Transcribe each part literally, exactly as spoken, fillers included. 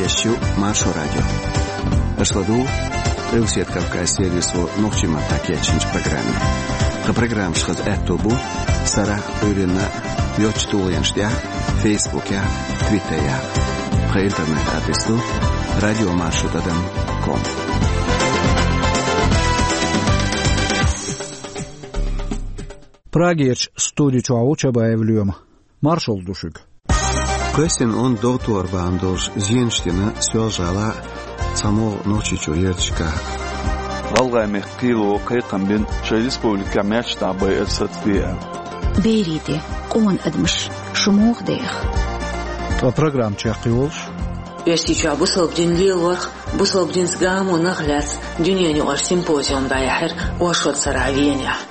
Шу Маршо радио. Аша ладугӀу Къилбаседа Кавказан сервисо нохчийн маттахь кечйинчу программе. Тхан программаш хаза аьтто бу сарахь а, Ӏуьйранна а йоцачу тулгӀенаш тӀехь, Фейсбукехь, Твиттерехь. Тхан интернет-адрес ду радиомаршо тӀадам ком. Прагерчу студи чохь ву Чабаев Лоьма. Маршалла ду шуьга. Кхоьссина онда догӀа тохар бахьана долуш зенаш дина Соьлжа-ГӀалахь а, цхьамогӀа Нохчийчоь ярташкахь а. ГӀалгӀайн мехкан кхело кхайкхам бина, шайн республикехь маьрша дӀа байар сацабе аьлла. Берийн де, къона адамаш, шу муха деха? Ткъа программа чекхйолуш: Оьрсийчохь бусалба дин лелорх, бусалба динца гамо нах лаьцна дуьненаюкъара симпозиум дӀаяьхьира оршот сарахь Венехь.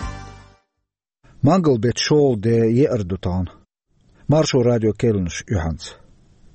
Мангал-беттан шолгӀа де еара ду тахана. Маршо радион керланаш юьхьанца.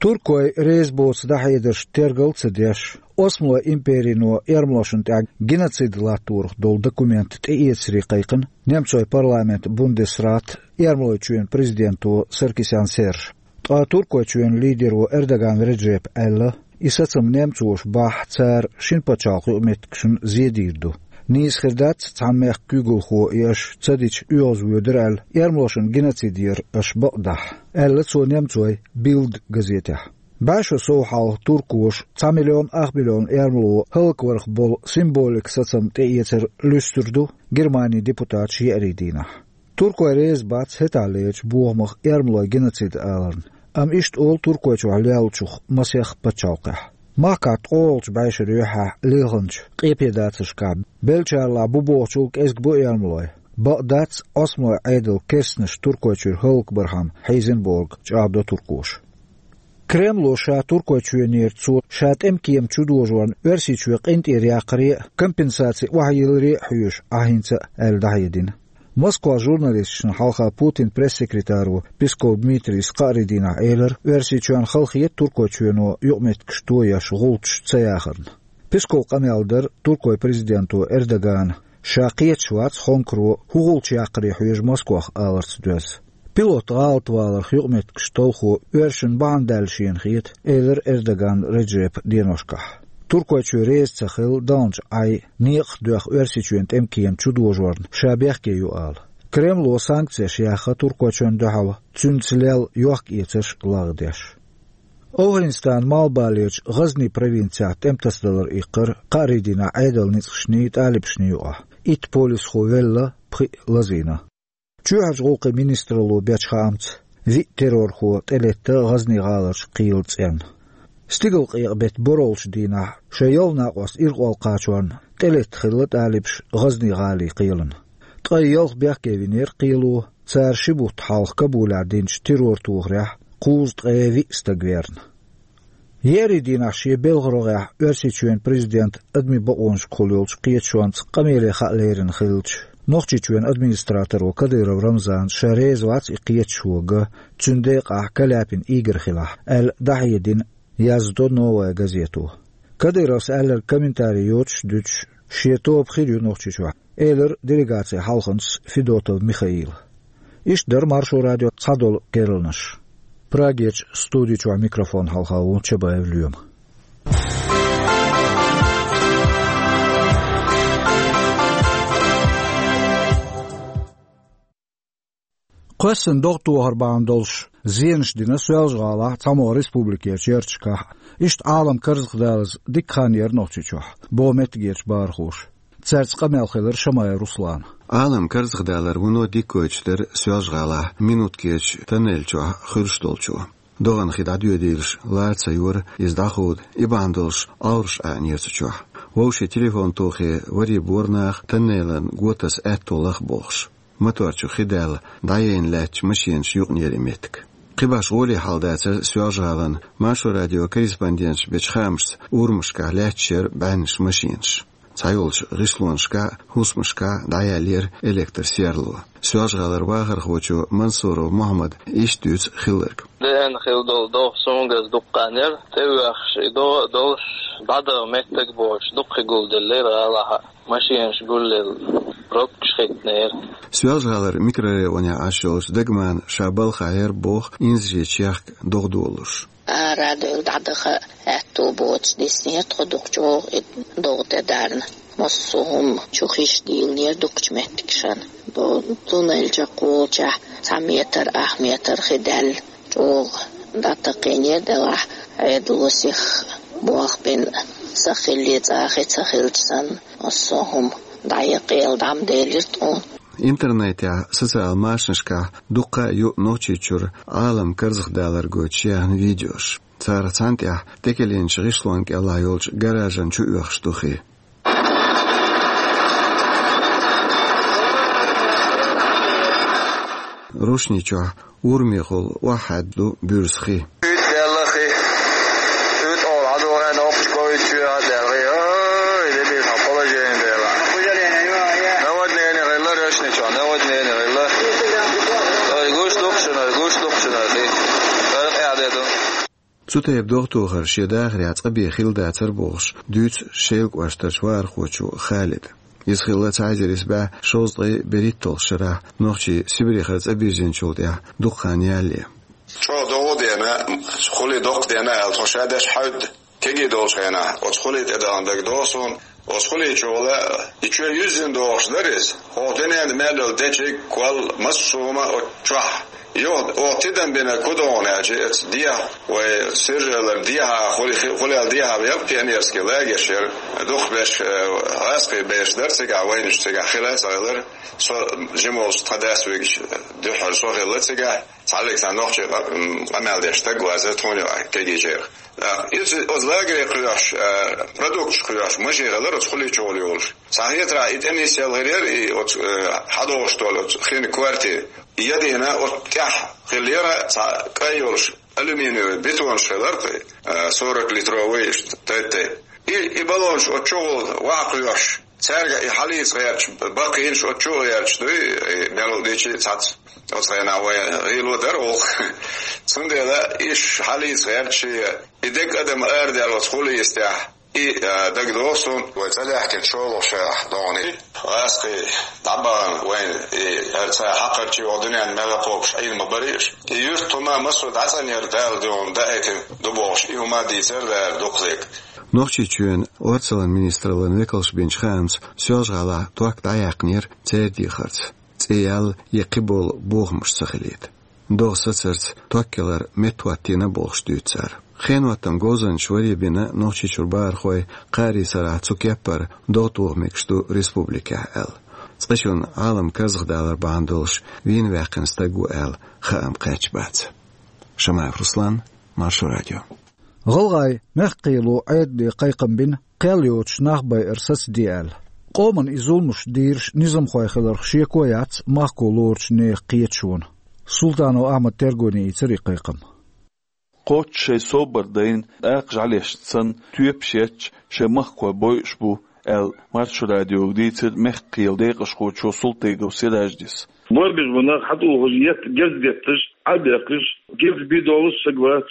Туркой реза боцу дӀахьедаршна тергал а ца деш, Осмалойн империно эрмалошна тӀехь геноцид латторах долу документ тӀеэцаре кхайкхина немцойн парламентан Бундесрат, Эрмалойчоьнан президенто Саркисян Сержа. Ткъа Туркойчоьнан лидеро Эрдоган Реджепа аьлла, и сацам немцоша бахь, цара шина пачхьалкхан юкъаметтигашна зен дийр ду. Нийса хир дац цхьана мехкан куьйгалхо и аша ца дича оьгӀазвоьдур аьлла, эрмалошна геноцид яр аша бакъдахь, аьлла цо немцойн Билд газетехь. БӀе шо сов хьалха туркоша цхьа миллион ах миллион эрмало хӀаллакварх болу символикан сацам тӀеэцар луьстур ду Германин депутаташа еарин дийнахь. Туркой реза бац хӀетахьлерчу бохамах эрмалойн геноцид аларна, амма иштта олу Туркойчохь леллачух масех пачхьалкхехь. Махкахь ткъолгӀачу бӀешаран юьххьехь лелхинчу къепедацаршкахь беллачарлахь бу бохучул кӀезиг бу эрмалой. Бакъ дац, Осмалойн Ӏедалан керстанаш Туркойчуьра хӀаллакбархьама хьийзина бохург чӀагӀдо туркоша. Кремло ша Туркойчоьнера цо ша тӀеман кема чудожорна Оьрсийчоь къинтӀера яккхаре а, компенсаци охьайилларе а хьоьжу Ӏа хӀинца а аьлла дӀахьедина. Москвахь журналисташна хьалха Путинан пресс-секретаро Песков Дмитрийс кхаарин дийнахь элира, Оьрсийчоьнна хала хета Туркойчоьно юкъаметтигаш тоеш гӀулчаш ца яхарна. Песковн къамел дара Туркойн президенто Эрдогана, ша кхеташ вац Хонкаро хӀун гӀулч яккхаре хьоьжу Москвах аларца доьзна. Пилот гӀалатваларх юкъаметтигаш талхо оьрсашна бахьана даьлла шена хета, элира Эрдоган Реджепа деношкахь. Туркойчоь реза ца хилла далначу Ӏай некъах доьхна Оьрсийчоьнан тӀеман кема чудожорна ша бехке ю ала. Кремло санкцеш яьхна Туркойчоьнна дуьхьал, цуьнца лелла йохк-эцарш лагӀдеш. ОвхӀанистанан малхбалерчу ГӀазни провинцехь тӀеман тасадалар иккхира кхаарин дийнахь Ӏедалан ницкъашний, тӀалибашний юкъахь. Итт полисхо велла, пхиъ лазийна. Чоьхьарчу гӀуллакхийн министралло бечу хаамца, виъ террорхо тӀелетта ГӀазни гӀаларчу кхелан цӀенна. Стигалкъекъа-беттан борхӀалгӀачу дийнахь шайн ялх накъост ирхъолла кхачорна тӀелетта хилла тӀалибаш ГӀазни гӀалин кхелана. Ткъе ялх бехке винера кхело, цара ши бутт хьалха Кабулехь динчу террор-тохарехь кхузткъе виъ стаг верна. Еарин дийнахь шен белхан рогӀехь Оьрсийчоьнан президента адамийн бакъонашкахула йолчу кхеташонца къамеле хаа лерина хиллачу Нохчийчоьнан администраторо Кадыров Рамзана ша реза вац и кхеташо ган, цуьнан декъахь Каляпин Игорь хилахь, аьлла дӀахьедина, яздо «Новая газето». Кадыровс аьлларг комментари йоцуш а дуьтуш, шен тоба хир ю Нохчийчохь, элира делегацин хьалханчас Федотов Михаила. Иштта дара Маршо радион цхьадолу керланаш. Прагерчу студи чохь микрофон хьалха ву Чабаев Лоьма. Кхоьссина догӀа тохар бахьана долуш зенаш дина Соьлжа-ГӀалахь а, цхьамогӀа республикерчу ярташкахь а. Иштта Ӏалам карзахдалаза дика хан яра Нохчийчохь, боху меттигерчу бахархоша. Цаьрца къамел хилира Шамаев Руслана. Ӏалам карзахдалар вуно дика гойтуш дара Соьлжа-ГӀалахь Минуткерчу тоннель чохь хуьлуш долчо. ДогӀан хи дӀадоьдийлаш лара ца йора иза дӀахуда, и бахьана долуш Ӏовраш Ӏаьнера цу чохь. Вовшийн телефон тохий вари бора наха тоннелан го таса аьтто лаха бохуш. Мотор чу хи даьлла, дӀаяйна лаьттачу машенаш юкъанера и меттиг. Кхин башха гӀоле хьал дацара Соьлжа-ГӀалана Маршо радион корреспонденташа бечу хаамашца, урамашкахь лаьтташ яра бӀеннаш машенаш. Цхьайолчу гӀишлонашкахь а, хӀусамашкахь а дӀаяьллера электросерло. Соьлжа-ГӀалара вахархочо Мансуров Мухьаммада иштта дуьйцу хилларг. Деана хилла долу догӀа суна газ дуккха хан яра, тӀевоьхуш и догӀа а долуш, дӀадахьа меттиг боцуш, дуккха хи гулделлера гӀалахь а. Машинаш гуллел, пробкаш хиттинера. Соьлжа-ГӀалара микрорайонехь Ӏаш йолчу Дагмана ша балха Ӏер боху инзаре чехка догӀа долуш. Ара девлла дӀадаха аьтту боцуш диснера тхо дукха чӀогӀа и догӀа тӀе дарна. Массо а хӀума чу хиш дийлинера дукхачу меттигашна. Туннель чекхволчохь цхьа метр, ах метр хи даьлла. ЧӀогӀа дӀатакхийнера делахь, Ӏедало сиха болх бина, са хиллий цӀа хи ца хилча санна, массо а хӀума дӀа а кхел дӀа ма делира тхуна. Интернетехь, социал машанашкахь дуккха а ю Нохчийчуьра Ӏалам карзахдалар гойтуш яьхна видеош. Царах цхьаьна тӀехь тӀекхиъначу гӀишлон кӀелахь йолчу гаражан чу оьхуш ду хи. Рушни чохь урамехула охьахьаьдда ду буьрса хи. УьйтӀа даьлла хи. УьйтӀа олу хьан догӀу аьлла, оккхачу ковид чоь а даьлла хи. Ой, де бийр хьан положение дела. Наводнение хилла Рушни чохь, наводнение хилла. Ой, гуш дукхачунара, гуш дукхачунара хи. Ой, къаьхьа де ду. Цу тайпа догӀа тохар шен дахарехь цкъа бен хилла дацара бохуш, дуьйцу Шелан кӀоштарчу вахархочо Халида. Иза хилла цхьа эзар исс бӀе шовзткъе берхӀитталгӀачу шарахь нохчий Сибрехара цӀа бирзинчул тӀаьхьа дукха хан ялале. ЧӀогӀа догӀа а дена, хулий доккха дена аьлла, тхо ша деш хьаьвда, кегий долчу хенахь, оцу хулий тӀедалан дагадогӀу суна. Оцу хулий чухула и чоь юьззина догӀуш дара иза. ХӀокху дуьненна мел йолу дечиг, кол, массо а хӀума оцу чохь. Юха оха тидам бина кху догӀана аьлча, оцу дехьа, вай Сиржалара дехьа, хули-, хулел дехьа яра пионерский лагерь яра. Дукхахберш, э, гӀазкхий берш дара цигахь, вайнаш цигахь хила а ца хилар. Со жима волчу тхан дас вигча дуьххьара со хилла цигахь. Цхьаллиг цхьа нохчий къа-, м, къамел деш стаг ваза тхуна юкъахь кегийчерах. Иза оцу лагере кхоьхьуш, а, продукташ кхоьхьуш машен хилар оцу хулий чухула йолуш. Цхьа хетарахь и тӀе нисъелла хир яра и оцу, э, хьадогӀуш долу оцу хин квартира. И ядийна оцу тӀехь хиллера цхьа кӀай йолуш алюминиевый бетонаш хилар кхин, э, сорок литровый иштта тайп-тайп. И, и баллонаш оцу чухула ваха кхоьхьуш. Цаьрга и хьалийца гӀерташ, баккхийнаш оцу чу а гӀерташ дуй, и мел дийчий цхьацца. Оцу хенахь вай гӀийло дара оха. Цундела иш хьалийца гӀерташ, и дерг адам арадаьлла оцу хулийстехь, и, а, дагадогӀу суна. Вай цӀа даьхкина шолгӀа шарахь догӀана. ГӀазкхий дӀабахана вайна, и, хӀара цхьа хьакхарчий оха дуьненна мел кхобуш Ӏийна ма барий аш. И юьртахума массо а дӀацӀанъяр Дала дуьхьал даийтина ду бохуш, и хӀума дийцар дара дукхазерг. Нохчийчоьнан орцаллин министраллин векалша бинчу хаамца, Соьлжа-ГӀалахь ток дӀаяьккхинера церан дехарца, цӀе ял я кхиболу бохамаш ца хилийта. ДогӀа сацарца ток ялар меттахӀоттийна бохуш дуьйцу цара. Хеноттаман говзанчаш варе бина Нохчийчуьра бахархой, кхаарин сарахь цу кеппара догӀа тоха мегаш ду республикехь аьлла. Цкъачунна Ӏалам карзахдалар бахьана долуш вийна ваьккхина стаг ву аьлла хаам кхаьчна бац. Шамаев Руслан, Маршо радио. ГӀалгӀайн мехкан кхело Ӏедале кхайкхам бина, кхел йоцуш нах байар сацаде аьлла. Къоман и зуламаш дийраш низамхой хиларх шеко яц махко лоручу нехан кхеташонан. Султанов Ахьмада тергоне ийцира и кхайкхам. Кхоччуш шайн собар дайна, тӀаккха жӀаьлеш санна, тоьпаш етташ шайн махкахой бойуш бу, аьлла, Маршо радиога дийцира мехкан кхелан декъашхочо Султыгов Сираждис. Бор беш бу нах хьатӀухуш, етт-, герз детташ, Ӏа а бехкаш, герз бен долуш саг вац.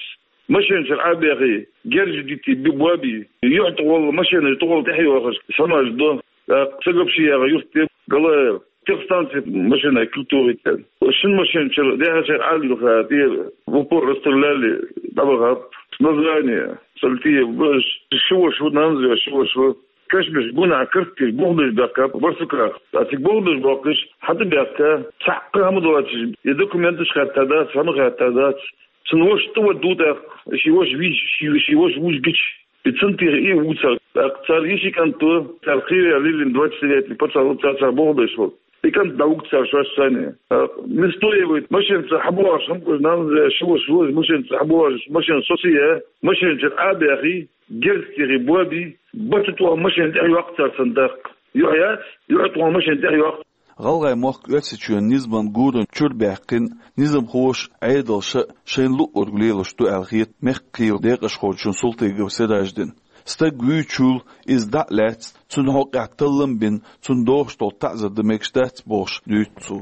Машен чуьра Ӏа а бехий, герз а дитий, би-, бо а бий. Юьхь тӀехула, машенаш тӀехула тӀаьхьайохуш, самаш до. ТӀаккха сагаб ши яха юрт де, Галаев. Техстанци машенай куьг тухуьйту. Шина машен чуьра, дехьа чуьра Ӏа а лилха, тӀера в упор расстреляли, дӀабахаб. Название, Салтиев, баш, ши ваша ву, нанза ши ваша ву. Кешнаш гунахь картиш, бухбеш баьхкаб Барсуках. Цига бухбеш боккхуш, хьатӀабаьхка, цхьа а хӀума доцуш, и документаш хатта дац, хӀума хатта дац. Цуьнан ваша тӀе вадду тӀаккха, ши ваша вийча, ши, ши ваша вуьжгича. И цунна тӀехь и ву цара. ТӀаккха цара йиши кӀант ву, цара кхийра лилина двадцать лет, пачхьалкх цара, цара бухбеш ву. И кӀант дӀавуьгу цара шоаш санна. ТӀаккха Нестоевый машенца хьабохуш, хӀума кхуьуш, нанза ши ваша ву, машенца хьабохуш, машен социйя, машен чуьра Ӏа а бехий, герз тӀехь бо а бий, бата тӀехь машен тӀехьайоккху цара цунна тӀаккха. Юьхь яц, юьхь тӀехь машен тӀехьайоккху. ГӀалгӀай мохк Оьрсийчоьнан низаман гуран чуьра баьккхина, низамхоша, Ӏедалша шайна луъург лелош ду аьлла хета мехкан кхелан декъашхочунна Султыгов Сираждина. Стаг вуьйчул, иза дӀа а лаьцна, цунна хьокъехь таллам а бина, цунна дохуш долу таӀзар дан мегаш дац бохуш дуьйцу цо.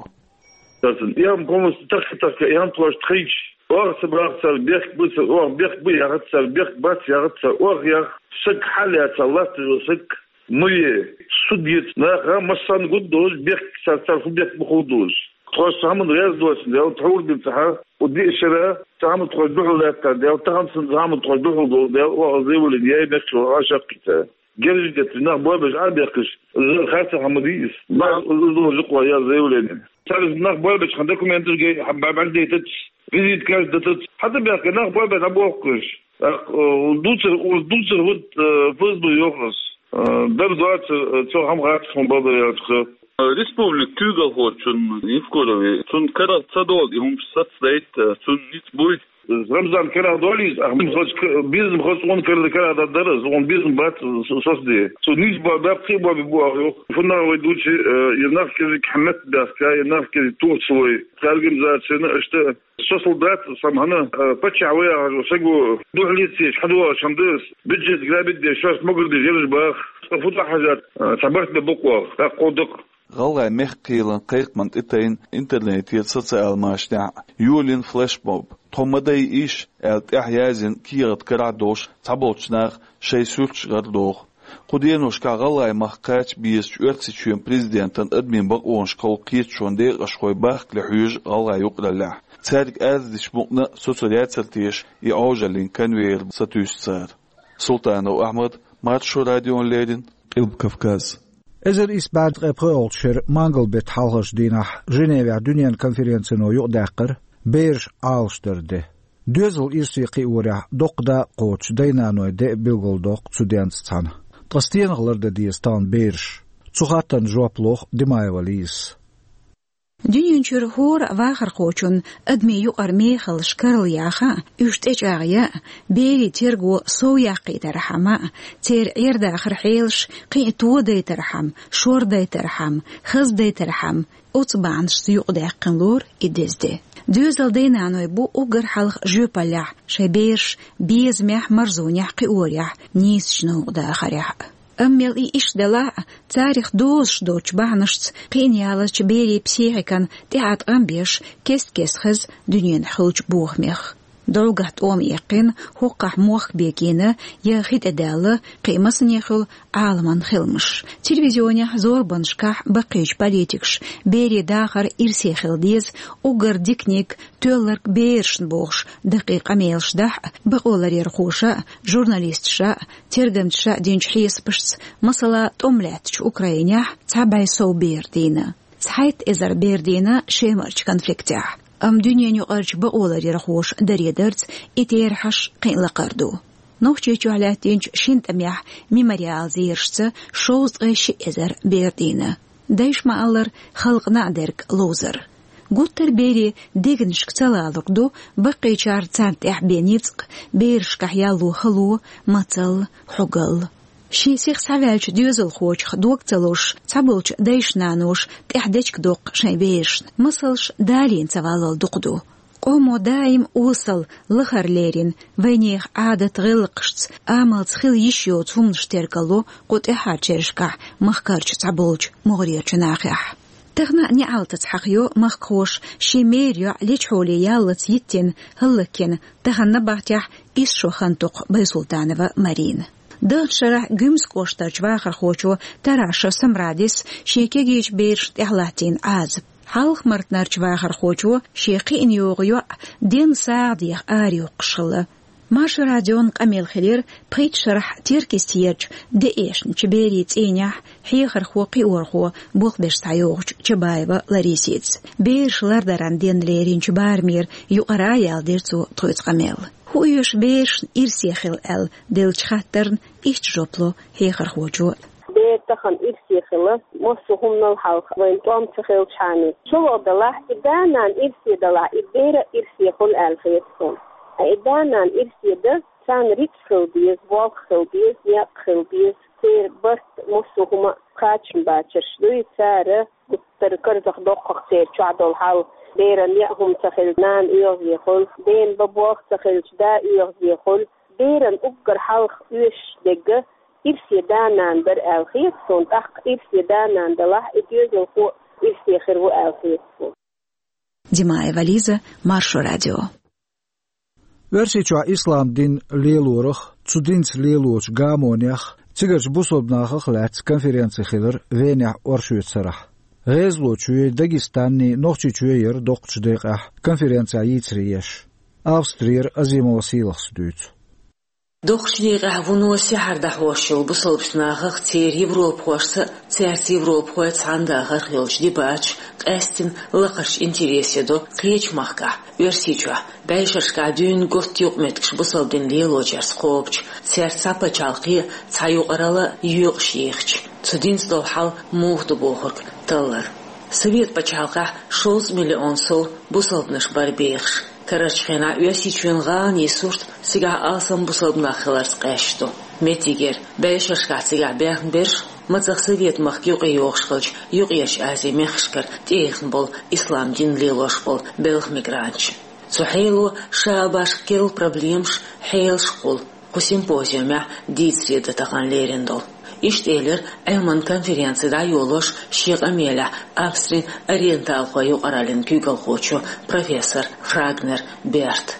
Царна и хӀума коммунисташ тахка-тахка, и хӀума тхоьш тхайча, оха ца баха цара, бехк бу цара, оха бехк бу яхац цара, бехк бац яхац цара, оха яха, саг хьалаьцна латташ ву саг. Ма е, суд ецу наха массарна гуд долуш, бехк цар, цар хӀун бехк бу хӀун долуш. Тхо цхьа хӀаман гӀерз доцу дела, тхьур ди цхьа, у диъ шера цхьа хӀаман тхо дуьхьал лаьттара дела, тахана сан цхьа хӀаман тхо дуьхьал долу дела, оха заявление яй бехк чу а шаккхица. Герзаш детташ, нах бой беш а бехкаш, харца хӀама дийс. Нах уздо жукъа я заявление. Царна нах бой беш хан документаш гей, хьан бабар дейтац, визит каш датац. Хьата бехка нах бой беш а бохкаш. Ах, э, дуцар, ур дуцар вот, э, ФСБ йохрас. Э, дар доаца, э, цо хам гӀатас хун бабар яцха. Республик куьйгалхочун Евкурове, цун карах ца долу и хӀумаш сацдайт, э, цун ниц буй. Рамзан карах долийз, ах, бизм хоц, бизм хоц, он карах, карах дар, дар, он бизм бац, со-, сос де. Цу низ ба, ба, кхи ба, би бу, ах, юх. Фунна вай дучи, э, и нах кирик хьамет бяхка, и нах кирик тух свой. Организацияны, что со солдат, сам хана, э, пача вай, ах, сагу, духлици, хадуа, шамдыс, бюджет грабит де, шос могр де, жерж бах. Фута хажат, э, сабарт бе буквах, так кодык. ГӀалгӀай мехкан кхелан кхайкхаман тӀе тайна интернетера социал машанехь йолийна флешмоб. «Тхо ма дайа иш», аьлла тӀехь язйина кехат карахь долуш цхьаболчу наха шайн суьрташ гӀардоху. Кху деношкахь ГӀалгӀай махка кхача безачу Оьрсийчоьнан президентан адамийн бакъонашкахула кхеташонан декъашхой бахкале хьоьжу гӀалгӀайн юкъараллехь. Цаьрга арадечу мукъана а со цуьнан яцара теша и Ӏожаллин конвейер сатуьйсу цара. Султанов Ахьмад, Маршо радиона леррина, Къилба Кавказ. Эзар исс бӀе ткъе пхоьалгӀачу шеран мангал-беттан хьалхарчу дийнахь Женевехь дуьненан конференцино юкъадаьккхира бераш Ӏалашдаран де. Доьзал ирсе кхиорехь доккха дакъа кхочуш дай-наной де а билгалдоккху цу денца цхьаьна. Ткъа стенах лардан деза тахана бераш? Цу хаттарна жоп лоху Димаева Лизас. Дуьнен чуьра хӀора а вахархочунна адамийн юкъара мехаллаш карла яха а, уьш тӀечӀагӀъян а, берийн терго сов яккхийтархьама а, церан Ӏер-дахаран хьелаш кхин а тодайтархьама, шордайтархьама, хаздайтархьама, оцу бахьанашца юкъадаьккхина лору и деза де. Доьзал дай-наной бу уггар хьалха жоьпаллехь шайн бераш безамехь, марзонехь кхиорехь, нийсачу новкъа дахарехь а. Амма мел и иштта делахь а, царах дозуш доцучу бахьанашца кхиъна яларчу берийн психикан тӀехьа ткъам беш, кест-кеста хеза дуьненахь хуьлучу бохамех. ДӀогахь тӀома эккхина, хӀокхахь мохк бегийна я хи тӀе даьлла, кхин а масане хуьлу Ӏаламан хиламаш. Телевизионехь, зорбанашкахь баккхийчу политикаша берийн дахар ирсе хила деза, уггар диканиг тоьлларг берашна бохуш даккхий къамелаш дахь а, бакъоларъярхоша а, журналисташа а, тергамчаша а динчу хьесапашца, масала, тӀом лаьттачу Украинехь цхьа бӀе сов бер дийна. Цхьайтта эзар бер дийна Шемарчу конфликтехь. Амма дуьненаюкъарчу бакъоларъярхоша даре дарца и терахьаш кхин а лакхара ду. Нохчийчохь лаьттинчу шина тӀамехь «Мемориал» зерашца шовзткъе ши эзар бер дийна. Дайша ма-аллара, халкъана а дерг ловзар. Гуттар а берийн дегнашка ца лалург ду баккхийчара царна тӀехь бен ницкъ, берашкахь ялло хало, мацалла, хьогалла. Шен сиха схьаваьллачу доьзалхочух дог ца лозуш, цхьаболчу дайша-наноша тӀехь дечиг доккху шайн берашна. Масалш далийна ца валлал дукха ду. Къомо даим осал, лахара лерина, вайнехан Ӏадат-гӀиллакхашца, амалца хила йиш йоцу хӀуманаш тергало кху тӀаьххьарчу шерашкахь махкарчу цхьаболчу могӀарерчу нахехь. Тахана а неӀалтаца хьахайо махкахоша шен мера йоӀ лечхьоле яллалц йиттина, хӀаллакйина, тахана набахтехь исс шо хан токху Байсултанова Марина. Даханчу шарахь Гуьмсан кӀоштарчу вахархочо Тараша Самрадис шен кегийчу берашна тӀехь латтийна Ӏазап. Хьалха-Мартанарчу вахархочо шен кхиъна йогӀу йоӀ денна сагӀа деха арайоккхуш хилла. Маршо радион къамел хилира пхийтта шарахь Теркйистехьарчу ДАИШ-н чу берийн цӀийнехь хьехархо-кхиорхо болх беш схьайогӀучу Чабаева Ларисица. Бераш лардаран денна леринчу барамера юкъара а яьлла дира цо тхоьца къамел. ХӀун оьшу берашна ирсе хила аьлла деллачу хаттарна иштта жоп ло хьехархочо. Бер тахана ирсе хила, массо а хӀуманал хьалха вайн тӀом ца хилчхьана. Чуло далахь, и да-нана ирсе далахь, и бер а ирсе хуьлу аьлла хета суна. Ткъа и да-нана ирсе дан, царна рицкъ хила деза, болх хила деза, некъ хила деза, церан барт, массо а хӀума кхачам бацарш дуй, цара гуттар а карзахдоккху-кх церан чохь долу хьал. Беран неӀ хӀума ца хилча, нана оьгӀазе хуьлу, дена бан болх ца хилча, да оьгӀазе хуьлу. Беран уггар хьалха оьшуш дерг ирсе да-нана дара аьлла хета суна, тӀаккха ирсе да-нана далахь, и доьзалхо а ирсе хир ву аьлла хета суна. Димаева Лиза, Маршо радио. Оьрсийчохь ислам дин лелорах, цу динца лелочу гамонех Цигарчу бусалба нахах лаьцна конференци хилира Венехь оршотан сарахь. ГӀезалочои, Дагестанеи, Нохчийчои яра доккхачу декъехь конференцехь йийцаре еш. Австрера Азимова Сийлахьас дуьйцу. Доккхачу декъехь вуно сехьар дӀахьош йолу бусалбачу нахах, церан европахошца а, цаьрца европахой цхьаьна дахарх йолчу дебаташ къаьсттина лакхарчу интересе до кхечу махкахь, Оьрсийчохь, бӀешерашкахь дуьйна готта юкъаметтигаш бусалба дин лелочаьрца кхобучу, цаьрца цхьа пачхьалкхе а, цхьа юкъаралла а йоькъуш йийхича. Цу динца долу хьал муха ду бохург таллар. Совет пачхьалкхехь шовзткъа миллион сов бусалбанаш бара бехаш. Карарчу хенахь Оьрсийчоьнан гӀаланийн сурт цигахь алсам бусалба нах хиларца къаьсташ ду. Меттигера, бӀешерашкахь цигахь баьхна берш, мацах Совет махка юкъайогӀуш хиллачу Юккъерчу Азин мехкашкара тӀеэхна болу ислам дин лелош болу белхан мигранташ. Цу хьело ша а башха керла проблемаш, хьелаш кхуллу. Кху симпозиумехь дийцаре дан тахана лерина долу. Иштта элира Ӏилманан конференци дӀайолош шен къамелехь Австрин ориенталхойн юкъараллин куьйгалхочо, профессор Фрагнер Берта.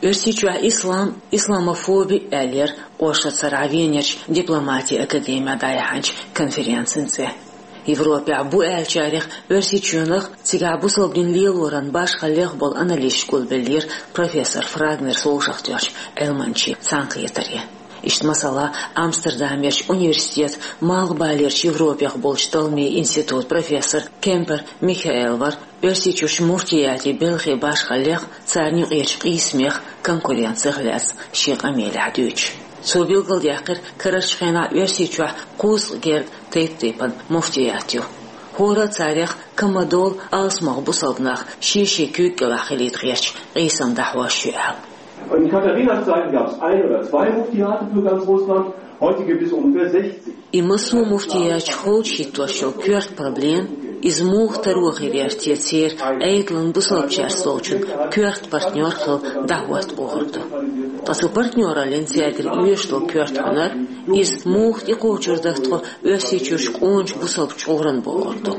Оьрсийчохь ислам, исламофоби аьлла яра оршотан сарахь Венерчу дипломатин академехь дӀаяьхьначу конференцин цӀе. Европехь бу аьллачарех Оьрсийчоьнах, цигахь бусалба дин лелоран башхаллех болу анализаш гулбеллера профессор Фрагнерс вовшахтоьхначу Ӏилманчин цхьаьнакхетаре. Иштта, масала, Амстердамерчу университетан Малхбалерчу Европех болчу талламийн институтан профессор Кемпер Михаэл вара Оьрсийчуьрчу муфтиятийн белхан башхаллех, царна юкъерчу къийсамех, конкуренцех лаьцна шен къамелехь дуьйцуш. Цо билгалдаьккхира, карарчу хенахь Оьрсийчохь кхузткъа гергга тайп-тайпана муфтият ю. ХӀора а царех кама долу алсамох бусалба нах шен-шен куьйга кӀелахь хилийта гӀерташ къийсам дӀахьош ю аьлла. In Katharina-Zeiten gab es ein oder zwei Muftiate für ganz Russland, heute gibt es ungefähr sechzig. И массо а муфтияташ холчу хӀиттош йолу коьрта проблема, иза муха таро хир яра те церан Ӏедалан бусалбачаьрца долчун коьрта партнер хила дӀахӀотта бохург ду. Ткъа цу партнераллин цаьргара оьшуш долу коьрта хӀунар, иза муха тӀекхочур дара тхо Оьрсийчуьрчу къоначу бусалба чкъуран бохург ду.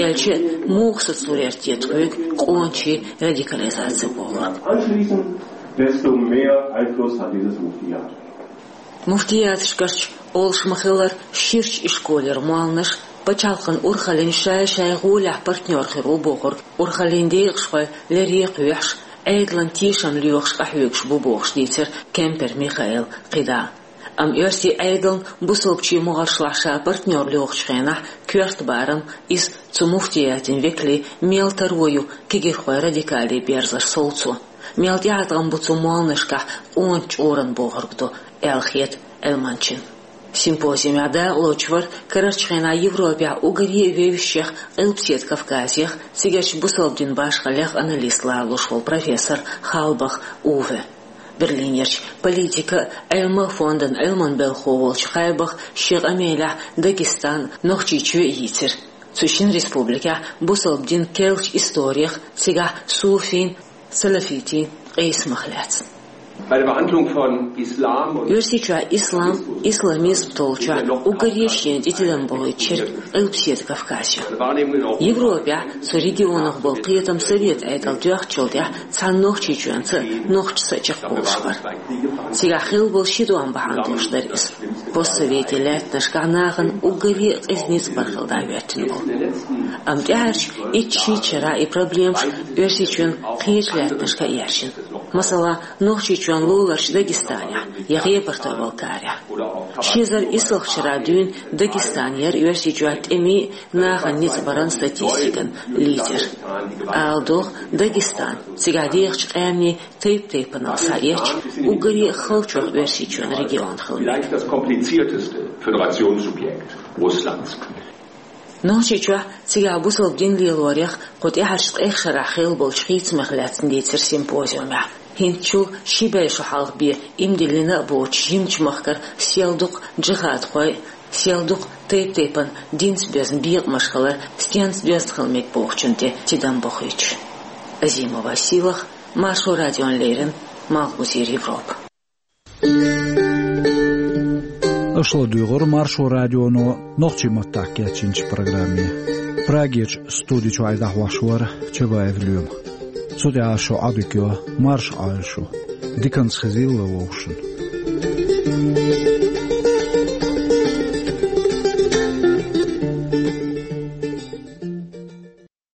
Аьлча а, муха сацор яра те тхоьга къоначийн радикализаци бохург. Anschließend, desto mehr Einfluss hat dieses Muftiat. Муфтияташкарчу олуш ма-хиллара ширачу ишколера молланаш пачхьалкхан урхаллин шай-шайн гӀолехь партнер хир ву бохург, урхаллин декъашхой лере кхоьхьуш, Ӏедалан тешам лоьхуш къахьоьгуш бу бохуш дийцира Кемпер Михаэла кхидӀа. Амма оьрсийн Ӏедална бусалбачийн могӀаршлахь ша партнер лоьхучу хенахь, коьрта барам иза цу муфтиятийн векалийн мел таро ю кегирхойн радикале берзарш совцо, мел тӀеӀаткъам бу цу молланашкахь къоначу чкъуран бохург ду, аьлла хета Ӏилманчин. Симпозиумехь дакъалоцуш вара карарчу хенахь Европехь уггаре а вевзачех, Къилбаседа Кавказех, цигарчу бусалба дин башхаллех аналист ларалуш волу профессор Халбах Уве. Берлинерчу политика а, Ӏилма а фондан Ӏилманан белхахо волчу Халбаха шен къамелехь Дагестан а, Нохчийчоь а йийцира. Цу шина республикехь бусалба дин керлачу историх, цигахь суфийн, салафитийн къийсамах лаьцна. Bei der Behandlung von Islam und Оьрсийчохь ислам, исламизм толлучохь уггаре а шена тӀе тидам бохуьйтуш яра Къилбаседа Кавказ ю. Европехь цу регионах болу кхетам совет Ӏедал доьхначул тӀаьхьа цхьана Нохчийчоьнца а, нохчашца а чекхболуш бара. Цигахь хилла болу ши тӀом бахьана долуш дара иза. Постсоветийн лаьттанашкахь нахана уггаре а къиза ницкъ бар хилла дӀахӀоьттина болу. Амма тӀаьхьарчу итт-шийтта шарахь и проблемаш Оьрсийчоьнан кхечу лаьттанашка а яьржина. Масала, Нохчийчоьнан луларчу Дагестанехь я Къебарта-Балкарехь. Ши эзар исалгӀачу шарахь дуьйна Дагестан яра Оьрсийчохь тӀемийн а, нахана ницкъ баран статистикан лидер. Ала догӀу, Дагестан цигахь дехачу къаьмнийн тайп-тайпанал схьаэцча, уггаре а халчох Оьрсийчоьнан регион хила мега. Vielleicht das komplizierteste Föderationssubjekt Russlands. Нохчийчохь цигахь бусалба дин лелорех кху тӀаьхьарчу ткъех шарахь хилла болчу хийцамех лаьцна дийцира симпозиумехь. ХӀинцачул ши бӀе шо хьалха бен иман диллина а боцуш жимачу махкара сел дукха джихадхой, сел дукха тайп-тайпана динца доьзна бекъамаш хилар стенца доьзна хила мега бохучун тӀе тидам бохуьйтуш. Азимова Сийлахь, Маршо радиона леррина, Малхбузера Европа. Аша ладуьйгӀура Маршо радионо нохчийн маттахь кечйинчу программе. Прагерчу студи чуьра дӀахьош вара Чабаев Лоьма. Цу тӀехь шун Ӏодика йо, марша Ӏойла шу. Диканца хезийла вовшашна.